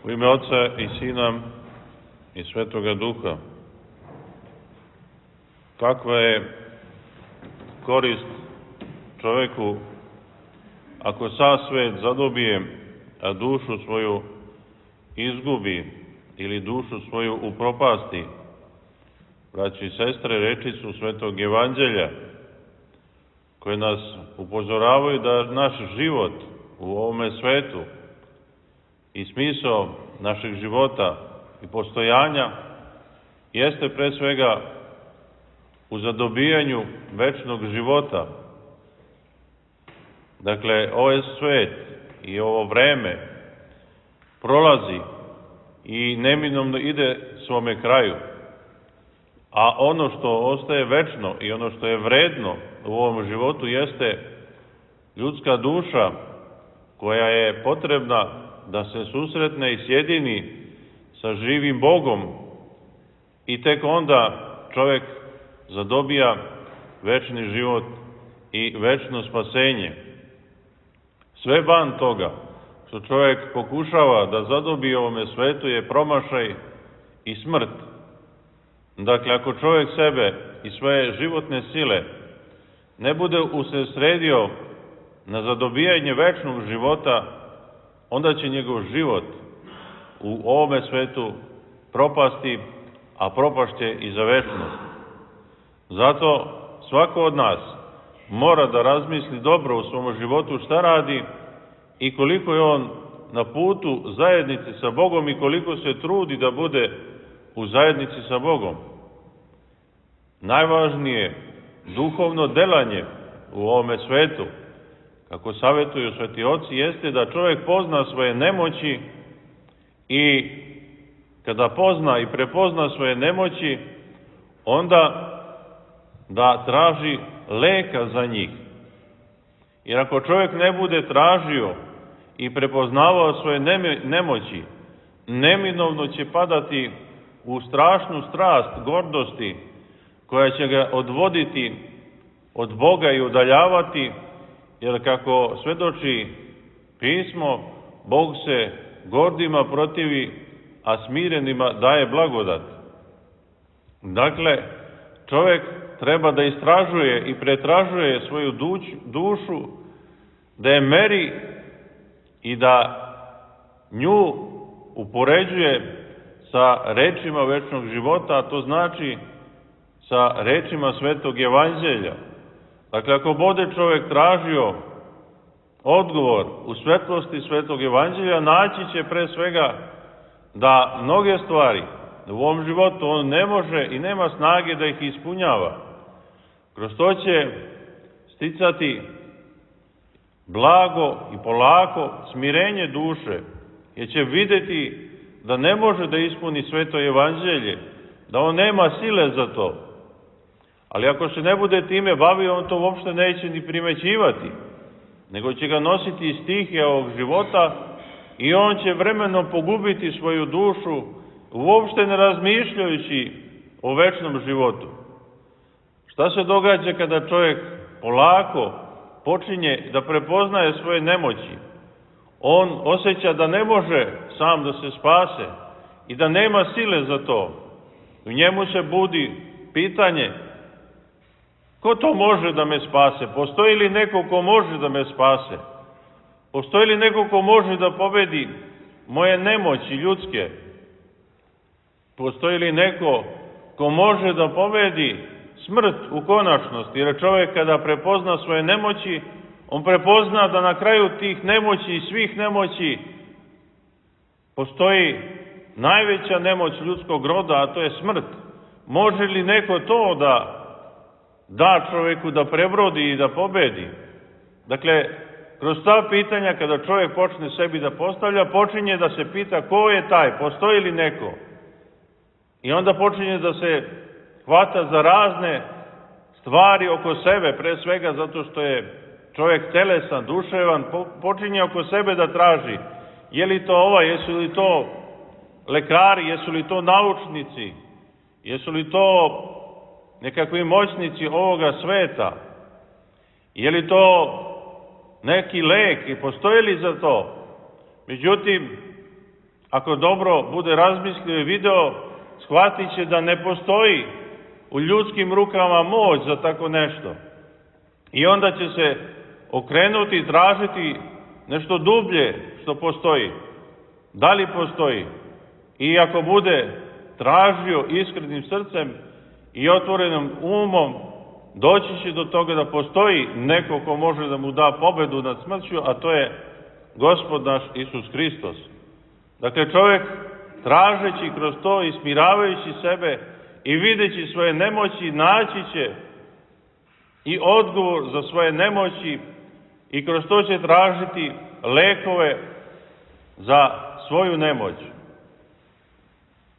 U ime Oca i Sina i Svetoga Duha. Kakva je korist čoveku ako sav svet zadobije, a dušu svoju izgubi ili dušu svoju upropasti? Braći i sestre, reči su Svetog Evanđelja koje nas upozoravaju da naš život u ovome svetu i smisao našeg života i postojanja jeste pre svega u zadobijanju večnog života. Dakle, ovaj svet i ovo vreme prolazi i neminovno ide svome kraju, a ono što ostaje večno i ono što je vredno u ovom životu jeste ljudska duša koja je potrebna da se susretne i sjedini sa živim Bogom i tek onda čovek zadobija večni život i večno spasenje. Sve van toga što čovek pokušava da zadobije ovome svetu je promašaj i smrt. Dakle, ako čovek sebe i svoje životne sile ne bude usredsredio na zadobijanje večnog života, onda će njegov život u ovome svetu propasti, a propašće i za večnost. Zato svako od nas mora da razmisli dobro u svom životu šta radi i koliko je on na putu zajednice sa Bogom i koliko se trudi da bude u zajednici sa Bogom. Najvažnije duhovno delanje u ovome svetu, kako savjetuju sveti oci, jeste da čovjek pozna svoje nemoći i kada pozna i prepozna svoje nemoći, onda da traži leka za njih. Jer ako čovjek ne bude tražio i prepoznavao svoje nemoći, neminovno će padati u strašnu strast gordosti koja će ga odvoditi od Boga i udaljavati, jer kako svedoči pismo, Bog se gordima protivi, a smirenima daje blagodat. Dakle, čovjek treba da istražuje i pretražuje svoju dušu, da je meri i da nju upoređuje sa rečima večnog života, a to znači sa rečima Svetog Evanđelja. Dakle, ako bude čovjek tražio odgovor u svetlosti Svetog Evanđelja, naći će pre svega da mnoge stvari u ovom životu on ne može i nema snage da ih ispunjava. Kroz to će sticati blago i polako smirenje duše, jer će videti da ne može da ispuni Sveto Evanđelje, da on nema sile za to. Ali ako se ne bude time bavio, on to uopšte neće ni primećivati, nego će ga nositi iz stihija ovog života i on će vremenom pogubiti svoju dušu, uopšte ne razmišljajući o večnom životu. Šta se događa kada čovjek polako počinje da prepoznaje svoje nemoći? On osjeća da ne može sam da se spase i da nema sile za to. U njemu se budi pitanje: ko to može da me spase? Postoji li neko ko može da me spase? Postoji li neko ko može da pobedi moje nemoći ljudske? Postoji li neko ko može da pobedi smrt u konačnosti? Jer čovjek kada prepozna svoje nemoći, on prepozna da na kraju tih nemoći i svih nemoći postoji najveća nemoć ljudskog roda, a to je smrt. Može li neko to da čovjeku da prebrodi i da pobedi? Dakle, kroz ta pitanja kada čovjek počne sebi da postavlja, počinje da se pita ko je taj, postoji li neko? I onda počinje da se hvata za razne stvari oko sebe, pre svega zato što je čovjek telesan, duševan, počinje oko sebe da traži je li to ova, jesu li to lekari, jesu li to naučnici, jesu li to nekakvi moćnici ovoga sveta, je li to neki lek i postoji li za to? Međutim, ako dobro bude razmislio i video, shvatit će da ne postoji u ljudskim rukama moć za tako nešto. I onda će se okrenuti i tražiti nešto dublje što postoji. Da li postoji? I ako bude tražio iskrenim srcem i otvorenim umom, doći će do toga da postoji neko ko može da mu da pobedu nad smrću, a to je Gospod naš Isus Hristos. Dakle, čovjek tražeći kroz to i smiravajući sebe i videći svoje nemoći, naći će i odgovor za svoje nemoći i kroz to će tražiti lekove za svoju nemoć.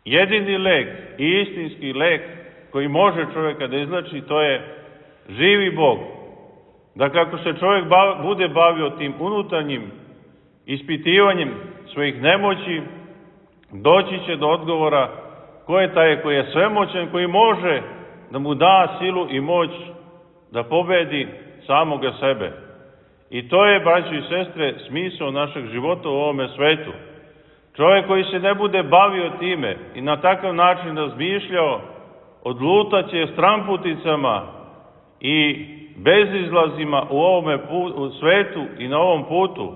Jedini lek i istinski lek koji može čovjeka da izleči, to je živi Bog. Dakle, ako se čovjek bude bavio tim unutarnjim ispitivanjem svojih nemoći, doći će do odgovora ko je taj koji je svemoćan, koji može da mu da silu i moć da pobedi samoga sebe. I to je, braćo i sestre, smisao našeg života u ovome svetu. Čovjek koji se ne bude bavio time i na takav način razmišljao, odlutaće stramputicama i bezizlazima u ovome svetu i na ovom putu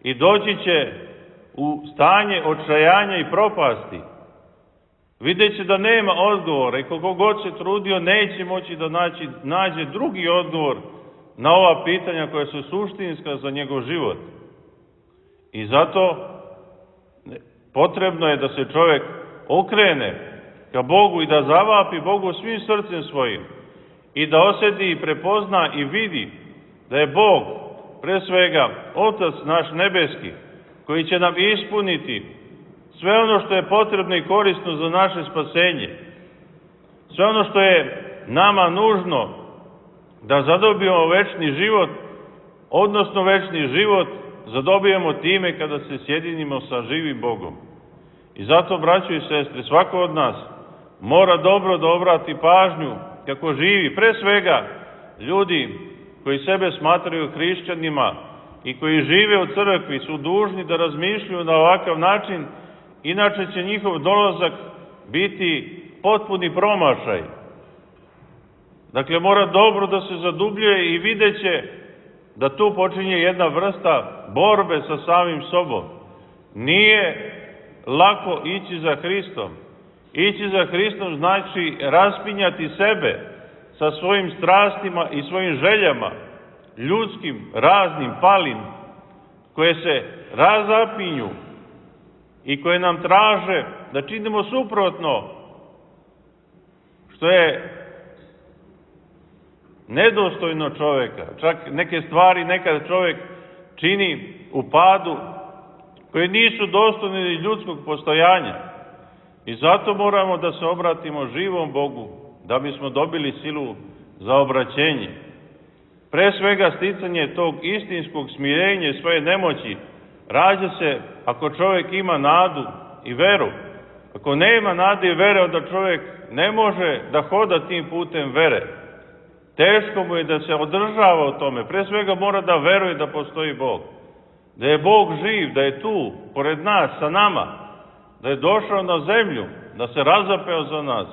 i doći će u stanje očajanja i propasti. Vidjet će da nema odgovora i koliko god se trudio neće moći da nađe drugi odgovor na ova pitanja koja su suštinska za njegov život. I zato potrebno je da se čovjek okrene ka Bogu i da zavapi Bogu svim srcem svojim i da osjeti i prepozna i vidi da je Bog, pre svega, Otac naš nebeski, koji će nam ispuniti sve ono što je potrebno i korisno za naše spasenje. Sve ono što je nama nužno da zadobijemo večni život, odnosno večni život zadobijemo time kada se sjedinimo sa živim Bogom. I zato, braćo i sestre, svako od nas mora dobro da obrati pažnju kako živi. Pre svega, ljudi koji sebe smatraju hrišćanima i koji žive u crkvi su dužni da razmišljaju na ovakav način, inače će njihov dolazak biti potpuni promašaj. Dakle, mora dobro da se zadubljuje i vidjet će da tu počinje jedna vrsta borbe sa samim sobom. Nije lako ići za Hristom. Ići za Hristom znači raspinjati sebe sa svojim strastima i svojim željama, ljudskim, raznim, palim, koje se razapinju i koje nam traže da činimo suprotno, što je nedostojno čovjeka. Čak neke stvari nekad čovjek čini u padu koje nisu dostojne ni ljudskog postojanja. I zato moramo da se obratimo živom Bogu, da bismo dobili silu za obraćenje. Pre svega sticanje tog istinskog smirenja i svoje nemoći rađa se ako čovjek ima nadu i veru. Ako nema nade i vere, onda čovjek ne može da hoda tim putem vere. Teško mu je da se održava u tome. Pre svega mora da veruje da postoji Bog. Da je Bog živ, da je tu, pored nas, sa nama. Da je došao na zemlju, da se razapeo za nas.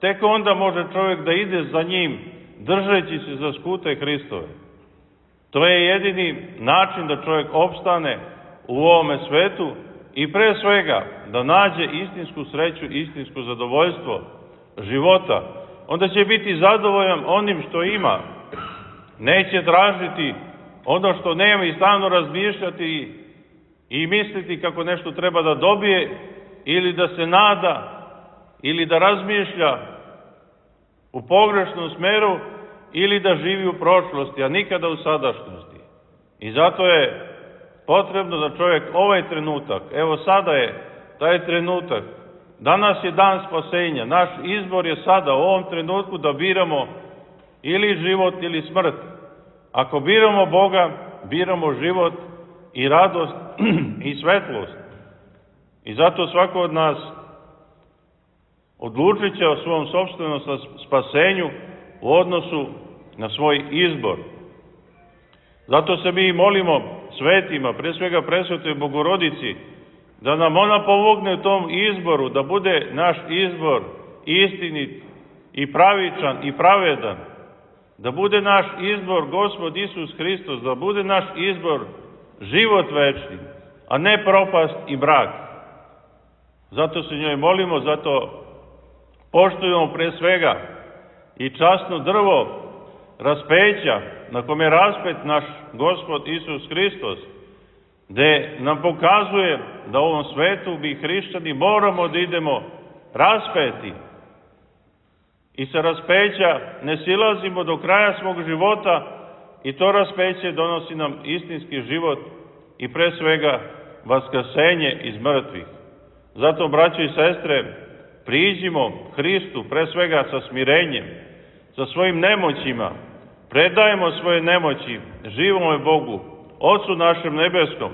Tek onda može čovjek da ide za njim, držeći se za skute Hristove. To je jedini način da čovjek opstane u ovome svetu i pre svega da nađe istinsku sreću, istinsko zadovoljstvo života. Onda će biti zadovoljan onim što ima. Neće tražiti ono što nema i stalno razmišljati i misliti kako nešto treba da dobije ili da se nada ili da razmišlja u pogrešnom smeru ili da živi u prošlosti, a nikada u sadašnjosti. I zato je potrebno da čovjek ovaj trenutak, evo sada je taj trenutak, danas je dan spasenja, naš izbor je sada u ovom trenutku da biramo ili život ili smrt. Ako biramo Boga, biramo život i radost i svetlost. I zato svako od nas odlučit će o svom sopstvenom spasenju u odnosu na svoj izbor. Zato se mi molimo svetima, pre svega presvetoj Bogorodici, da nam ona pomogne u tom izboru, da bude naš izbor istinit i pravičan i pravedan, da bude naš izbor Gospod Isus Hristos, da bude naš izbor život večni, a ne propast i mrak. Zato se njoj molimo, zato poštujemo pre svega i časno drvo raspeća na kome je raspet naš Gospod Isus Hristos, gde nam pokazuje da u ovom svetu mi hrišćani moramo da idemo raspeti i sa raspeća ne silazimo do kraja svog života i to raspeće donosi nam istinski život i pre svega vaskrsenje iz mrtvih. Zato, braćo i sestre, priđimo Hristu pre svega sa smirenjem, sa svojim nemoćima, predajemo svoje nemoći živome Bogu, Otcu našem nebeskom,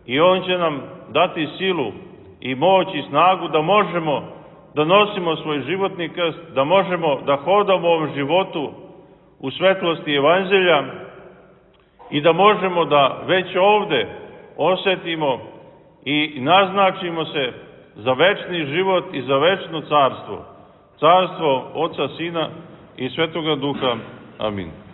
i On će nam dati silu i moć i snagu da možemo da nosimo svoj životni krst, da možemo da hodamo u ovom životu u svetlosti Evanđelja i da možemo da već ovde osetimo i naznačimo se za večni život i za večno carstvo, carstvo Oca, Sina i Svetoga Duha. Amin.